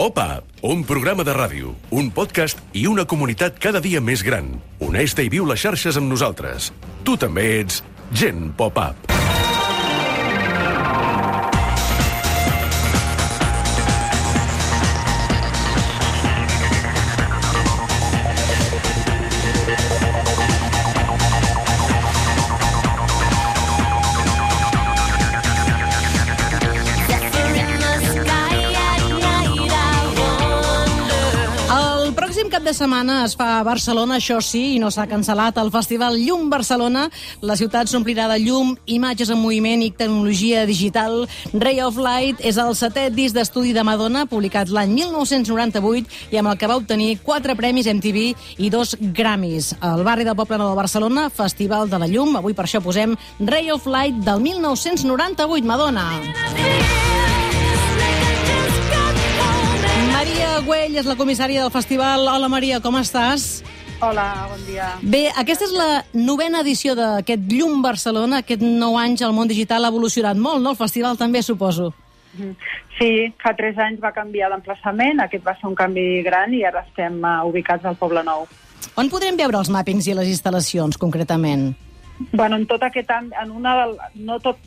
Pop-Up, un programa de ràdio, un podcast i una comunitat cada dia més gran. Uneix-te i viu les xarxes amb nosaltres. Tu també ets Gent Pop-Up. Cap de setmana es fa a Barcelona, això sí, i no s'ha cancel·lat, el Festival Llum Barcelona. La ciutat s'omplirà de llum, imatges en moviment i tecnologia digital. Ray of Light és el 7è disc d'estudi de Madonna, publicat l'any 1998 i amb el que va obtenir 4 premis MTV i 2 Grammys. Al barri del Poble Nou de Barcelona, Festival de la Llum. Avui per això posem Ray of Light del 1998, Madonna. Maria Güell és la comissària del festival. Hola, Maria, com estàs? Hola, bon dia. Bé, aquesta és la 9a edició d'aquest Llum Barcelona. Aquest 9 anys el món digital ha evolucionat molt, no? El festival també, suposo. Sí, fa 3 anys va canviar l'emplaçament. Aquest va ser un canvi gran i ara estem ubicats al Poble Nou. On podrem veure els màpings i les instal·lacions, concretament? Bueno, en tot aquest no tot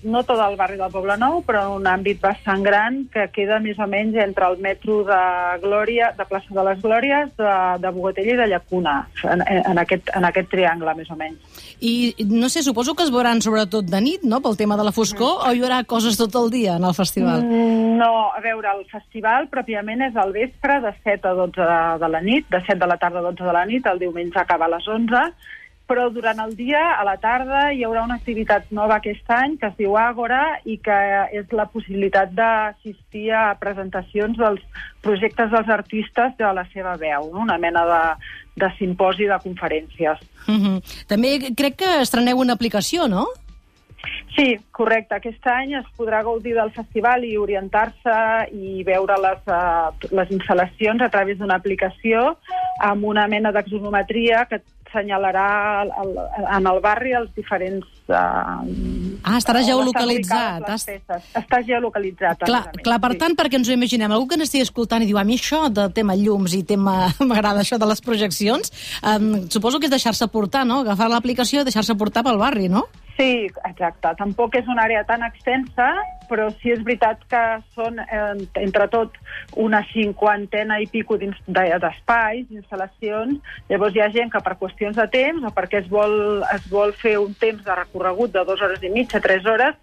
el barri del Poble Nou, però en un àmbit bastant gran que queda més o menys entre el metro de Glòria, de Plaça de les Glòries, de Bogatella i de Llacuna, en aquest triangle, més o menys. I, no sé, suposo que es veuran sobretot de nit, no?, pel tema de la foscor, o hi haurà coses tot el dia en el festival? No, a veure, el festival pròpiament és al vespre, de 7 a 12 de la nit, de 7 de la tarda a 12 de la nit, el diumenge acaba a les 11, però durant el dia, a la tarda, hi haurà una activitat nova aquest any que es diu Àgora i que és la possibilitat d'assistir a presentacions dels projectes dels artistes de la seva veu, no? Una mena de simposi de conferències. També crec que estreneu una aplicació, no? Sí, correcte. Aquest any es podrà gaudir del festival i orientar-se i veure les instal·lacions a través d'una aplicació amb una mena d'axonometria que assenyalarà en el barri els diferents... estarà geolocalitzat. Està geolocalitzat. Clar, per tant, perquè ens ho imaginem, algú que n'estigui escoltant i diu, a mi això de tema llums i tema... m'agrada això de les projeccions, suposo que és deixar-se portar, no? Agafar l'aplicació i deixar-se portar pel barri, no? Sí, exacte. Tampoc és una àrea tan extensa, però sí és veritat que són, entre tot, una 50 i pico d'espais, d'instal·lacions. Llavors hi ha gent que per qüestions de temps o perquè es vol fer un temps de recorregut de 2 hores i mitja, 3 hores,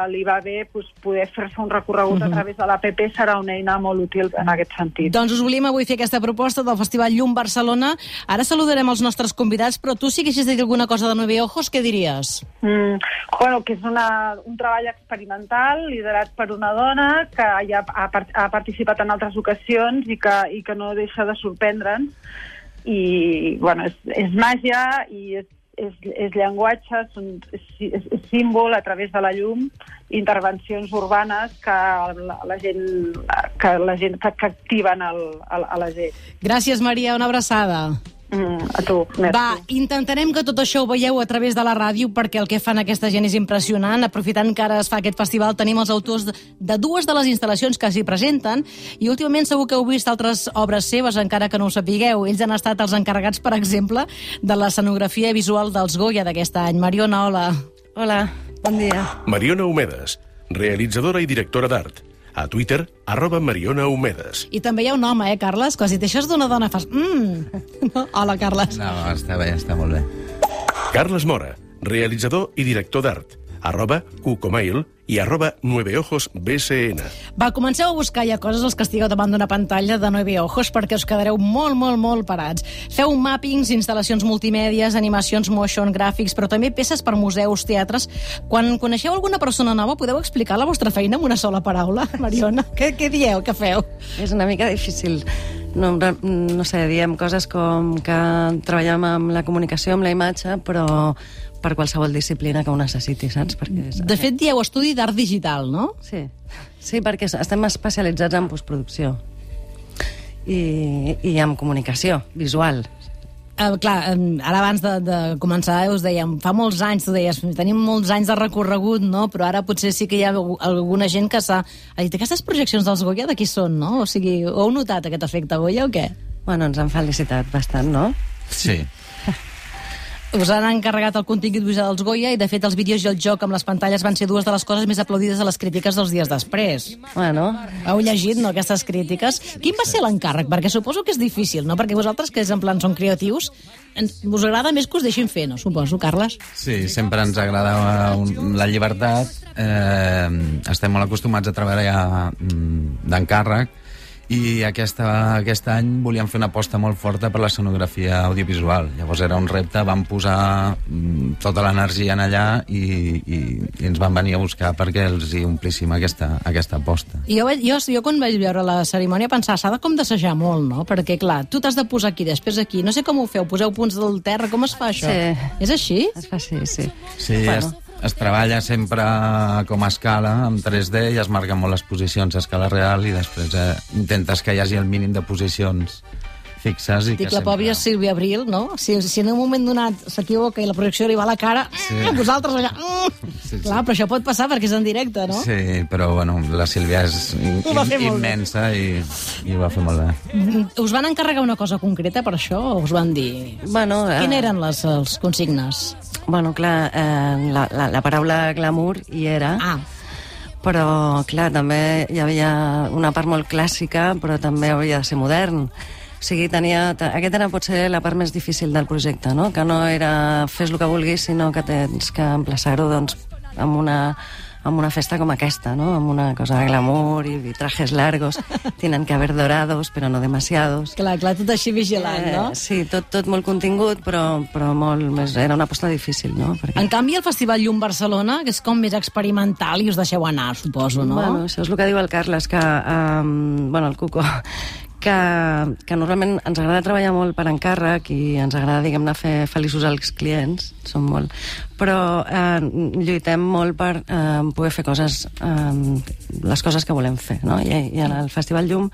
li va bé poder fer-se un recorregut a través de l'APP, serà una eina molt útil en aquest sentit. Doncs us volíem avui fer aquesta proposta del Festival Llum Barcelona. Ara saludarem els nostres convidats, però tu si haguessis de dir alguna cosa de 9 Ojos, què diries? Bueno, que és un treball experimental liderat per una dona que ja ha participat en altres ocasions i que no deixa de sorprendre'ns. I, bueno, és màgia i és llenguatge, és símbol a través de la llum, intervencions urbanes que activen a la gent. Gràcies, Maria, una abraçada. A tu, merci. Va, intentarem que tot això ho veieu a través de la ràdio perquè el que fan aquesta gent és impressionant. Aprofitant que ara es fa aquest festival, tenim els autors de 2 de les instal·lacions que s'hi presenten i últimament segur que heu vist altres obres seves, encara que no ho sapigueu. Ells han estat els encarregats, per exemple, de l'escenografia visual dels Goya d'aquest any. Mariona, hola. Hola, bon dia. Mariona Humedes, realitzadora i directora d'art. A Twitter, @MarionaHumedes. I també hi ha un home, Carles? Que si t'aixòs d'una dona fas... No? Hola, Carles. No, està bé, està molt bé. Carles Mora, realitzador i director d'art. @Cucomail i @9ojosbcn. Va, comenceu a buscar ja coses els que estigueu davant d'una pantalla de 9 Ojos perquè us quedareu molt parats. Feu màpings, instal·lacions multimèdies, animacions motion, gràfics, però també peces per museus, teatres. Quan coneixeu alguna persona nova, podeu explicar la vostra feina amb una sola paraula, Mariona? Què dieu, què feu? És una mica difícil. No sé, diem coses com que treballem amb la comunicació, amb la imatge, però per qualsevol disciplina que ho necessiti, saps? De fet, dieu estudi d'art digital, no? Sí, perquè estem especialitzats en postproducció i en comunicació visual. Clar, ara abans de començar us dèiem, fa molts anys, tu deies, tenim molts anys de recorregut, no? Però ara potser sí que hi ha alguna gent que s'ha... Aquestes projeccions dels Goya de qui són, no? O sigui, heu notat aquest efecte Goya o què? Bueno, ens han felicitat bastant, no? Sí. Us han encarregat el contingut visual dels Goya i, de fet, els vídeos i el joc amb les pantalles van ser dues de les coses més aplaudides a les crítiques dels dies després. Bueno. Heu llegit, no, aquestes crítiques? Quin va ser l'encàrrec? Perquè suposo que és difícil, no? Perquè vosaltres, que és en plan són creatius, us agrada més que us deixin fer, no? Suposo, Carles? Sí, sempre ens agrada la llibertat. Estem molt acostumats a treballar d'encàrrec i aquest any volíem fer una aposta molt forta per la sonografia audiovisual. Llavors era un repte, vam posar tota l'energia en allà i ens van venir a buscar perquè els hi omplíssim aquesta aposta. Jo quan vaig veure la cerimònia pensava, s'ha de com d'assajar molt, no? Perquè, clar, tu t'has de posar aquí, després aquí. No sé com ho feu, poseu punts del terra, com es fa això? Sí. És així? Es fa així, sí. Sí, bueno. Es treballa sempre com a escala, amb 3D, i es marquen molt les posicions a escala real i després intentes que hi hagi el mínim de posicions fixes. Dic, la pòbia Sílvia Abril, no? Si en un moment donat s'equivoca i la projecció li va a la cara, vosaltres allà... Sí. Clar, però això pot passar perquè és en directe, no? Sí, però bueno, la Sílvia és immensa i ho va fer molt bé. Us van encarregar una cosa concreta per això o us van dir... Bueno, Quines eren els consignes? Bueno, clar, la paraula glamour hi era, però, clar, també hi havia una part molt clàssica, però també havia de ser modern. O sigui, aquesta era potser la part més difícil del projecte, no? Que no era fes el que vulguis, sinó que tens que emplaçar-ho, doncs, amb una festa com aquesta, ¿no? Amb una cosa de glamour i trajes largos. Tienen que haber dorados, però no demasiados. Clar, tot així vigilant, no? Sí, tot molt contingut, però molt més... Era una aposta difícil, no? Perquè... En canvi, el Festival Llum Barcelona, que és com més experimental i us deixeu anar, suposo, no? Bueno, això és el que diu el Carles, que... el Cuco... que normalment ens agrada treballar molt per encàrrec i ens agrada, diguem-ne, fer feliços als clients, són molt, però lluitem molt per poder fer coses, les coses que volem fer, no? I en el Festival Llum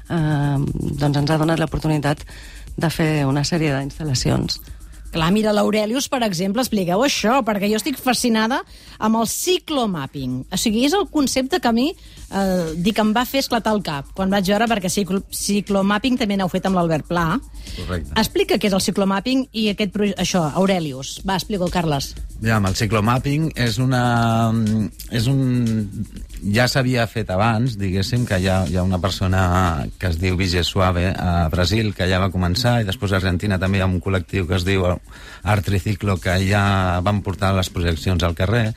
doncs ens ha donat l'oportunitat de fer una sèrie d'instal·lacions. Clar, mira, l'Aurelius, per exemple, expliqueu això, perquè jo estic fascinada amb el ciclomapping. O sigui, és el concepte que a mi em va fer esclatar el cap quan vaig veure, perquè ciclomapping també n'heu fet amb l'Albert Pla. Correcte. Explica què és el ciclomapping i això, Aurelius. Va, explica-ho, Carles. Ja, amb el ciclomapping ja s'havia fet abans, diguéssim, que hi ha una persona que es diu Vigé Suave a Brasil, que ja va començar, i després a Argentina també hi ha un col·lectiu que es diu Art Triciclo, que ja van portar les projeccions al carrer,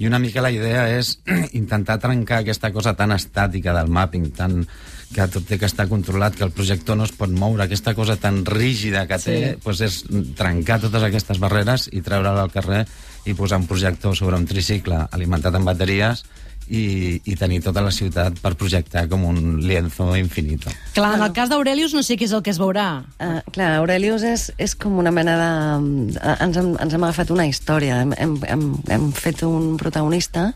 i una mica la idea és intentar trencar aquesta cosa tan estàtica del mapping, que tot té que estar controlat, que el projector no es pot moure, aquesta cosa tan rígida que té, doncs és trencar totes aquestes barreres i treure-la al carrer i posar un projector sobre un tricicle alimentat amb bateries i tenir tota la ciutat per projectar com un lienzo infinito. Clar, en el cas d'Aurelius no sé què és el que es veurà. Clar, Aurelius és com una mena de... Ens hem agafat una història, hem fet un protagonista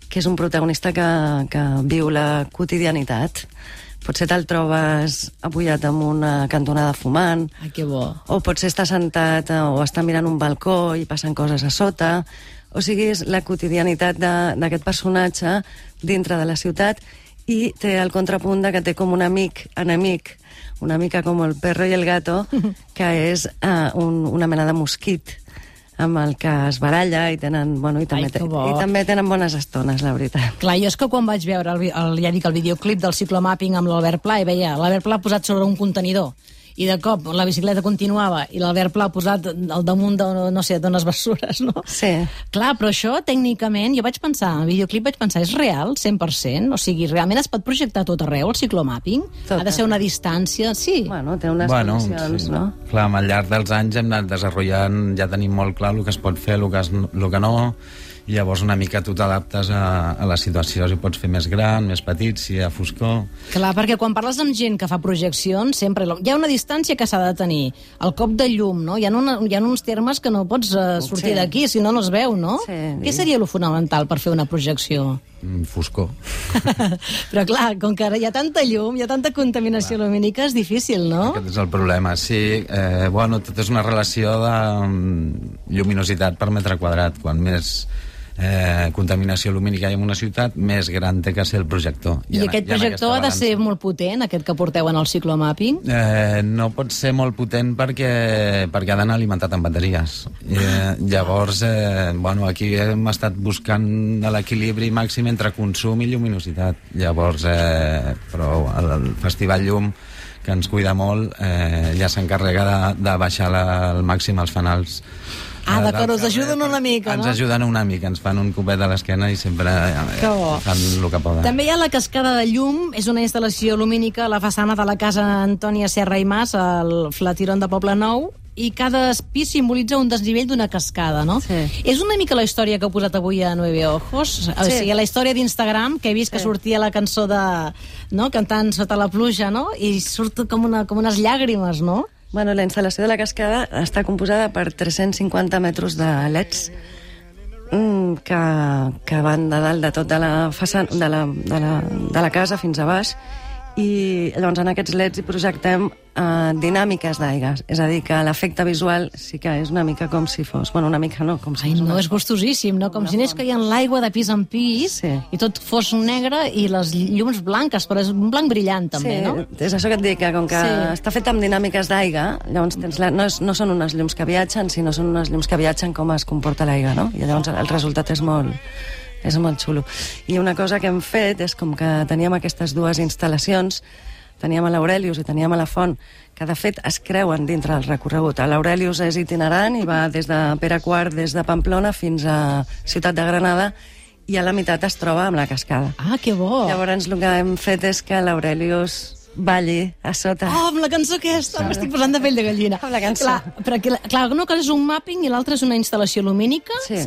que és un protagonista que viu la quotidianitat. Potser te'l trobes apujat en una cantonada fumant. Ai, que bo. O potser està sentat o està mirant un balcó i passen coses a sota. O sigui, és la quotidianitat d'aquest personatge dintre de la ciutat i té el contrapunt que té com un amic, enemic, una mica com el perro i el gato, que és una mena de mosquit amb el que es baralla i tenen, bueno, i també tenen bones estones, la veritat. Clar, jo és que quan vaig veure el videoclip del ciclomapping amb l'Albert Pla i veia l'Albert Pla posat sobre un contenidor i de cop la bicicleta continuava i l'Albert Pla posat al damunt de, no sé, d'unes bessures, no? Sí. Clar, però això, tècnicament, jo vaig pensar, el videoclip vaig pensar, és real, 100%? O sigui, realment es pot projectar tot arreu, el ciclomapping? Ha de ser una distància? Sí. Bueno, té unes condicions, sí, no? Clar, al llarg dels anys hem anat desenvolupant, ja tenim molt clar el que es pot fer, el que no, i llavors una mica tu t'adaptes a la situació, si pots fer més gran, més petit, si hi ha foscor... Clar, perquè quan parles amb gent que fa projeccions, sempre hi ha una distància que s'ha de tenir, el cop de llum, no? Hi ha uns termes que no pots sortir d'aquí, si no, no es veu, no? Sí. Què seria lo fonamental per fer una projecció? foscor. Però clar, com que ara hi ha tanta llum, hi ha tanta contaminació lumínica, és difícil, no? Aquest és el problema, sí. Bueno, tot és una relació de lluminositat per metre quadrat. Quan més contaminació lumínica hi ha en una ciutat, més gran té que ser el projector. I aquest projector ha de ser molt potent, aquest que porteu en el ciclomapping? No pot ser molt potent perquè ha d'anar alimentat amb bateries. Llavors, bueno, aquí hem estat buscant l'equilibri màxim entre consum i lluminositat. Llavors, però el Festival Llum, que ens cuida molt, ja s'encarrega de baixar al màxim els fanals. D'acord, us ajuden una mica, no? Ens ajuden una mica, ens fan un copet a l'esquena i sempre fan el que poden. També hi ha la cascada de llum, és una instal·lació lumínica a la façana de la casa Antònia Serra i Mas, al Flatiron de Poblenou, i cada pis simbolitza un desnivell d'una cascada, no? Sí. És una mica la història que heu posat avui a Nueve Ojos, o sigui, la història d'Instagram, que he vist que sortia la cançó de... no? Cantant Sota la pluja, no? I surt com unes llàgrimes, no? Bueno, la instal·lació de la cascada està composada per 350 metres de leds que van de dalt de tot de la façana, de la casa fins a baix, i llavors en aquests leds hi projectem dinàmiques d'aigua, és a dir, que l'efecte visual sí que és una mica com si fos... Bueno, una mica no, com si fos... és gustosíssim, no? Com si anés caient l'aigua de pis en pis, i tot fos negre i les llums blanques, però és un blanc brillant també, no? Sí, és això que et dic, que com que està fet amb dinàmiques d'aigua, llavors no són unes llums que viatgen, sinó són unes llums que viatgen com es comporta l'aigua, no? I llavors el resultat és molt xulo. I una cosa que hem fet és com que teníem aquestes dues instal·lacions, teníem a l'Aurelius i teníem a la Font, que de fet es creuen dintre del recorregut. L'Aurelius és itinerant i va des de Pere IV, des de Pamplona fins a Ciutat de Granada, i a la meitat es troba amb la cascada. Ah, que bo! Llavors el que hem fet és que l'Aurelius balli a sota. Oh, amb la cançó aquesta, m'estic posant de pell de gallina. Amb la cançó. Clar, una cosa és un mapping i l'altra és una instal·lació lumínica. Sí.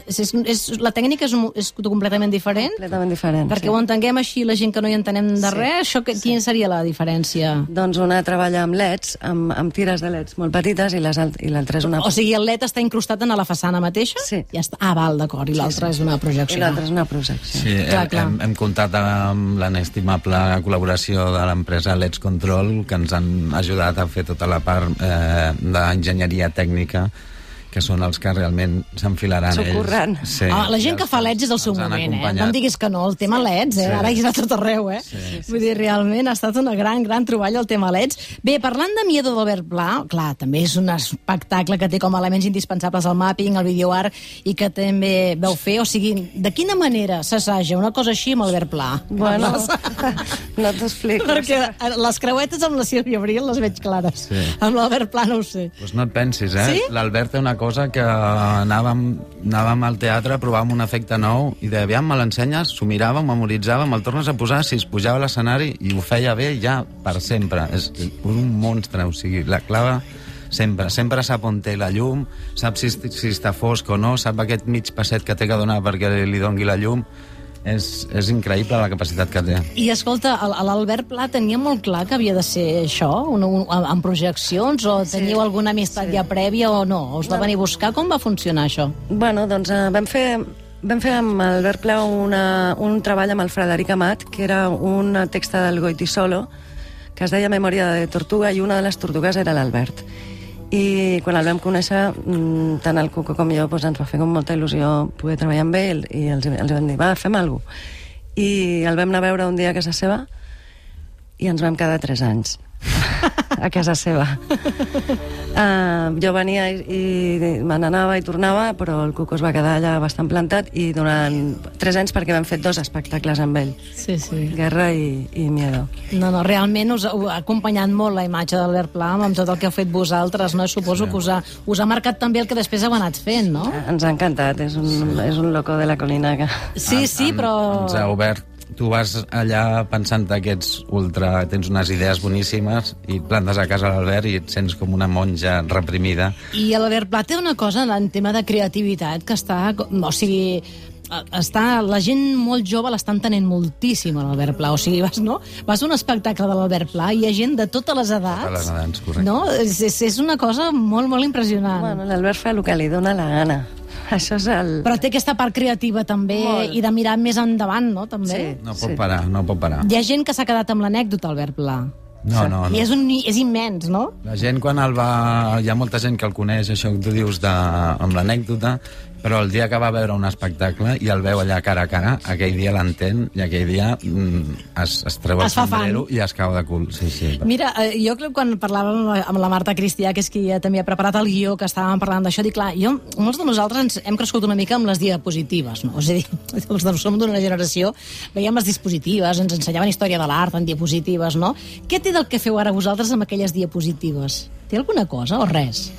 La tècnica és completament diferent? Completament diferent, perquè ho entenguem així, la gent que no hi entenem de res, això, quina seria la diferència? Doncs una treballa amb leds, amb tires de leds molt petites, i l'altra és una... O sigui, el led està incrustat en la façana mateixa? Sí. Ja està. Ah, val, d'acord, i l'altra és una projecció. I l'altra és una projecció. Sí, hem comptat amb l'inestimable col·laboració de l'empresa Leds Control, que ens han ajudat a fer tota la part d'enginyeria tècnica, que són els que realment s'enfilaran ells. Socorrant. Sí. La gent que fa LEDs és el seu moment, No em diguis que no, el tema LEDs, ara hi és a tot arreu, Vull dir, realment ha estat una gran troballa el tema LEDs. Bé, parlant de Miedo d'Albert Pla, clar, també és un espectacle que té com a elements indispensables el mapping, el videoart, i que també veu fer, o sigui, de quina manera s'assaja una cosa així amb Albert Pla? Bueno, no t'explico. Perquè les creuetes amb la Sílvia Abril les veig clares. Amb l'Albert Pla no ho sé. Doncs no et pensis, Sí? L'Albert té una cosa que anàvem al teatre, provàvem un efecte nou i deia, aviam, me l'ensenyes, s'ho mirava, memoritzava, me'l tornes a posar, si es pujava a l'escenari, i ho feia bé ja per sempre. És un monstre, o sigui, la clava sempre sap on té la llum, sap si està fosc o no, sap aquest mig passet que té que donar perquè li dongui la llum. És increïble la capacitat que té. I escolta, l'Albert Pla tenia molt clar que havia de ser això, amb projeccions, o teniu alguna amistat ja prèvia o no? Us va venir a buscar? Com va funcionar això? Bueno, doncs vam fer amb Albert Pla un treball amb el Frederic Amat, que era un text del Goitisolo, que es deia Memòria de Tortuga, i una de les tortugues era l'Albert. I quan el vam conèixer, tant el Cuco com jo, ens va fer com molta il·lusió poder treballar amb ell, i els vam dir, va, fem alguna cosa. I el vam anar a veure un dia a casa seva i ens vam quedar 3 anys a casa seva. Jo venia i me n'anava i tornava, però el Cuco es va quedar allà bastant plantat, i durant 3 anys, perquè vam fer 2 espectacles amb ell. Sí. Guerra i Miedo. No, realment us ha acompanyat molt la imatge d'Albert Pla amb tot el que heu fet vosaltres, no? Suposo que us ha marcat també el que després heu anat fent, no? Ens ha encantat, és un loco de la colina. Sí, però... Ens ha obert. Tu vas allà pensant que tens unes idees boníssimes i et plantes a casa l'Albert i et sents com una monja reprimida. I l'Albert Pla té una cosa en tema de creativitat que està... O sigui, la gent molt jove l'està entenent moltíssim, l'Albert Pla. O sigui, vas a un espectacle de l'Albert Pla i hi ha gent de totes les edats. Totes les edats, correcte. No? És una cosa molt, molt impressionant. Bueno, l'Albert fa el que li dóna la gana. Això és el... Però té aquesta part creativa també i de mirar més endavant, no? També. Sí. No pot parar, no pot parar. Hi ha gent que s'ha quedat amb l'anècdota, Albert Pla. No. I és immens, no? La gent quan el va... Hi ha molta gent que el coneix, això que tu dius amb l'anècdota, però el dia que va veure un espectacle i el veu allà cara a cara, aquell dia l'entén i aquell dia es treu el sombrero i es cau de cul. Sí. Mira, jo crec que quan parlàvem amb la Marta Cristià, que és qui també ha preparat el guió, que estàvem parlant d'això, dic, clar, molts de nosaltres hem crescut una mica amb les diapositives, no? És a dir, els que som d'una generació, veiem les diapositives, ens ensenyaven història de l'art en diapositives, no? Què té del que feu ara vosaltres amb aquelles diapositives? Té alguna cosa o res?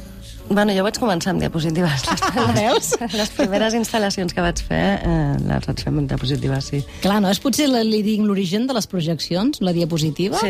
Bueno, jo vaig començar amb diapositives. Veus? Les primeres instal·lacions que vaig fer, les vaig fer amb diapositives, sí. Clar, no? És potser l'origen de les projeccions, la diapositiva?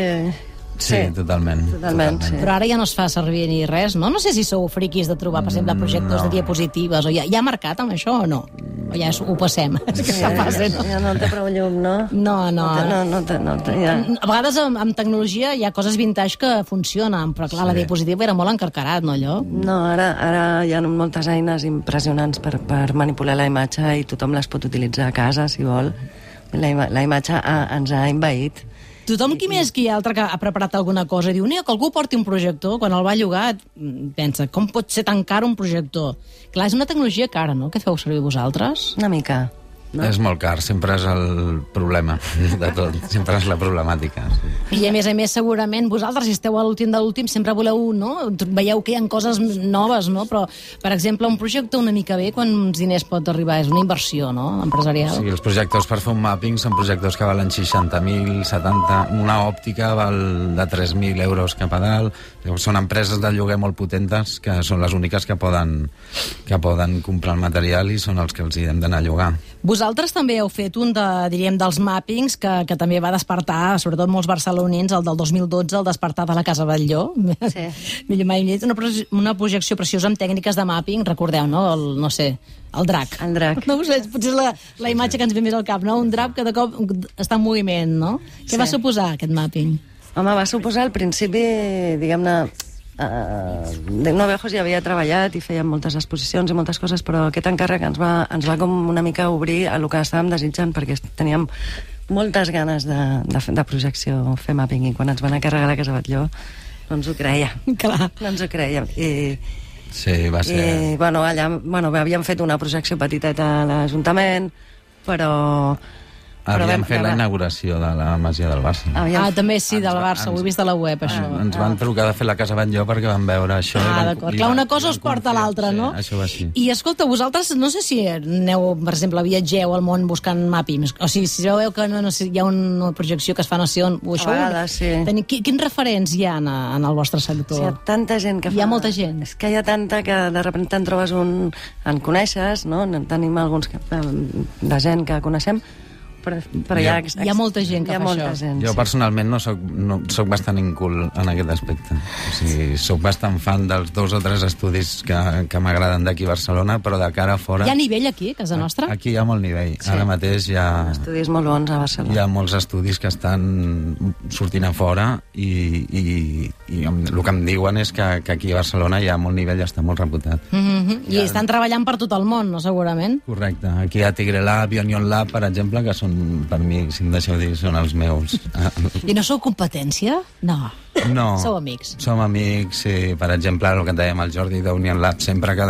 Sí, totalment. Sí. Però ara ja no es fa servir ni res, no? No sé si sou friquis de trobar, per exemple, projectors de diapositives, o ja ha marcat amb això o no? O ja ho passem? Ja no té prou llum, no? No. Ja. A vegades amb tecnologia hi ha coses vintage que funcionen, però clar, la diapositiva era molt encarcarat, no, allò? No, ara hi ha moltes eines impressionants per manipular la imatge i tothom les pot utilitzar a casa, si vol. La imatge ens ha envaït. Tothom qui més qui altre que ha preparat alguna cosa diu, que algú porti un projector, quan el va llogar pensa, com pot ser tan car un projector? Clar, és una tecnologia cara, no? Què feu servir vosaltres? Una mica. No? És molt car, sempre és el problema de tot, sempre és la problemàtica. Sí. I a més, segurament, vosaltres, si esteu a l'últim de l'últim, sempre voleu, no? Veieu que hi ha coses noves, no? Però, per exemple, un projecte una mica bé, quants diners pot arribar? És una inversió, no?, empresarial. Sí, els projectors per fer un mapping són projectors que valen 60.000, 70... Una òptica val de 3.000 euros cap a dalt. Són empreses de lloguer molt potentes que són les úniques que poden comprar el material i són els que els hi hem d'anar a llogar. Vosaltres també heu fet un dels mappings que també va despertar, sobretot molts barcelonins, el del 2012, el despertar de la Casa Batlló. Sí. Una projecció preciosa amb tècniques de mapping, recordeu, no? El drac. El drac. No ho sé, potser és la imatge que ens ve més al cap, no? Un drac que de cop està en moviment, no? Què va suposar aquest mapping? Home, va suposar al principi, diguem-ne, Novejos ja havia treballat i fèiem moltes exposicions i moltes coses, però aquest encàrrec ens va com una mica obrir a el que estàvem desitjant, perquè teníem moltes ganes de projecció, fer mapping, i quan ens van encarregar la Casa Batlló no ens ho creia. Clar. No ens ho creiem. Sí, va ser... allà havíem fet una projecció petiteta a l'Ajuntament, però Havíem fet la inauguració de la Masia del Barça. També sí, del Barça, ho he vist a la web, això. Ens van trucar de fer la Casa Batlló perquè van veure això. D'acord. Clar, una cosa us porta a l'altra, no? Això va així. I escolta, vosaltres, no sé si aneu, per exemple, viatgeu al món buscant mappings, o sigui, si veieu que hi ha una projecció que es fa no sé on, a vegades, sí. Quins referents hi ha en el vostre sector? Hi ha tanta gent que fa... Hi ha molta gent. És que hi ha tanta que de sobte en trobes un... En coneixes, no? Tenim alguns de gent que coneixem, però hi ha molta gent que fa això. Jo personalment no soc bastant incul en aquest aspecte. O sigui, soc bastant fan dels 2 o 3 estudis que m'agraden d'aquí a Barcelona, però de cara a fora... Hi ha nivell aquí, a casa nostra? Aquí hi ha molt nivell. Sí. Ara mateix hi ha... Estudis molt bons a Barcelona. Hi ha molts estudis que estan sortint a fora i el que em diuen és que aquí a Barcelona hi ha molt nivell i està molt reputat. I estan treballant per tot el món, no, segurament? Correcte. Aquí hi ha Tigre Lab i Onion Lab, per exemple, que són, per mi, si em deixeu dir, són els meus. I no sou competència? No. Sou amics. Som amics, sí. Per exemple, el que et dèiem, el Jordi d'Union Lab, sempre que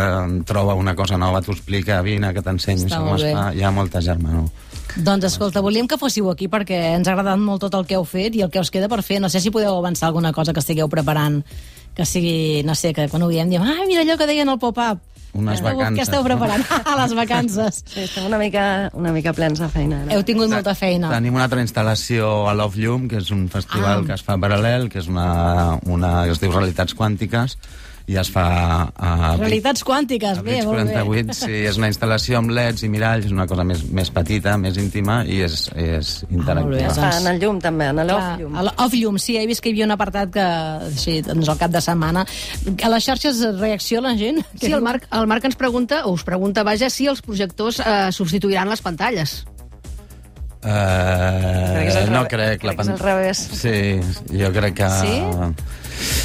troba una cosa nova t'ho explica, vine, que t'ensenyo com es fa. Hi ha molta germanor. Doncs escolta, volíem que fóssiu aquí perquè ens ha agradat molt tot el que heu fet i el que us queda per fer. No sé si podeu avançar alguna cosa que estigueu preparant, que sigui, no sé, que quan ho diem diem, mira allò que deien al pop-up. Unes vacances. Què esteu preparant? Les vacances. Sí, estem una mica plens de feina. Heu tingut molta feina. Tenim una altra instal·lació a Love Llum, que és un festival que es fa paral·lel, que és una es diu Realitats Quàntiques, i es fa... Realitats Quàntiques, bé, molt bé. 48, sí, és una instal·lació amb leds i miralls, és una cosa més petita, més íntima, i és interactiva. Es fa en el llum, també, en l'Off Llum. A l'Off Llum, sí, he vist que hi havia un apartat que, així, doncs al cap de setmana... A les xarxes reacciona la gent? Sí, el Marc ens pregunta, o us pregunta, vaja, si els projectors substituiran les pantalles. No crec. És al revés. Sí, jo crec que... Sí?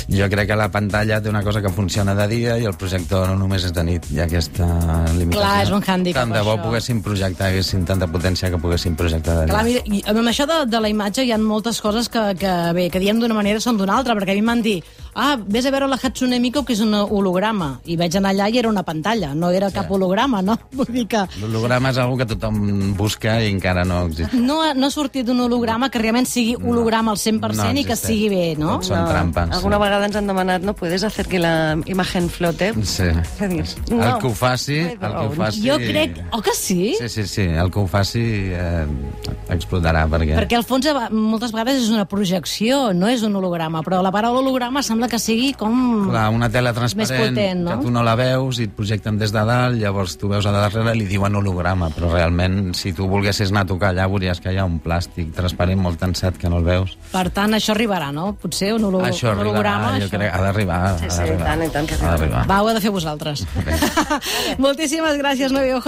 Jo crec que la pantalla té una cosa que funciona de dia i el projector no només és de nit. Hi ha aquesta limitació. Clar, és un hàndicap, tant de bo això. poguéssim projectar, haguessin tanta potència que poguéssim projectar de dia. Clar, mira, i amb això de la imatge hi ha moltes coses que diem d'una manera són d'una altra, perquè a mi m'han dit vés a veure la Hatsune Miku, que és un holograma, i vaig anar allà i era una pantalla, no era cap holograma, no? Vull dir que... L'holograma és una que tothom busca i encara no existeix. No ha sortit un holograma que realment sigui holograma al 100% i que sigui bé, no? Tots són trampes. Alguna vegada ens han demanat, ¿no puedes hacer que la imagen flote? Sí. No. El que ho faci... Jo crec... Oh, que sí? Sí. El que ho faci explotarà, perquè... Perquè al fons moltes vegades és una projecció, no és un holograma, però la paraula holograma sembla que sigui com... Clar, una tela transparent, més potent, no? que tu no la veus i et projecten des de dalt, llavors tu veus a darrere i li diuen holograma, però realment, si tu volguessis anar a tocar allà, veuries que hi ha un plàstic transparent molt tensat que no el veus. Per tant, això arribarà, no? Potser un holograma... Això arribarà, jo crec, ha d'arribar. Sí, i tant que arribarà. Va, ho heu de fer vosaltres. Moltíssimes gràcies, Novi Ojos.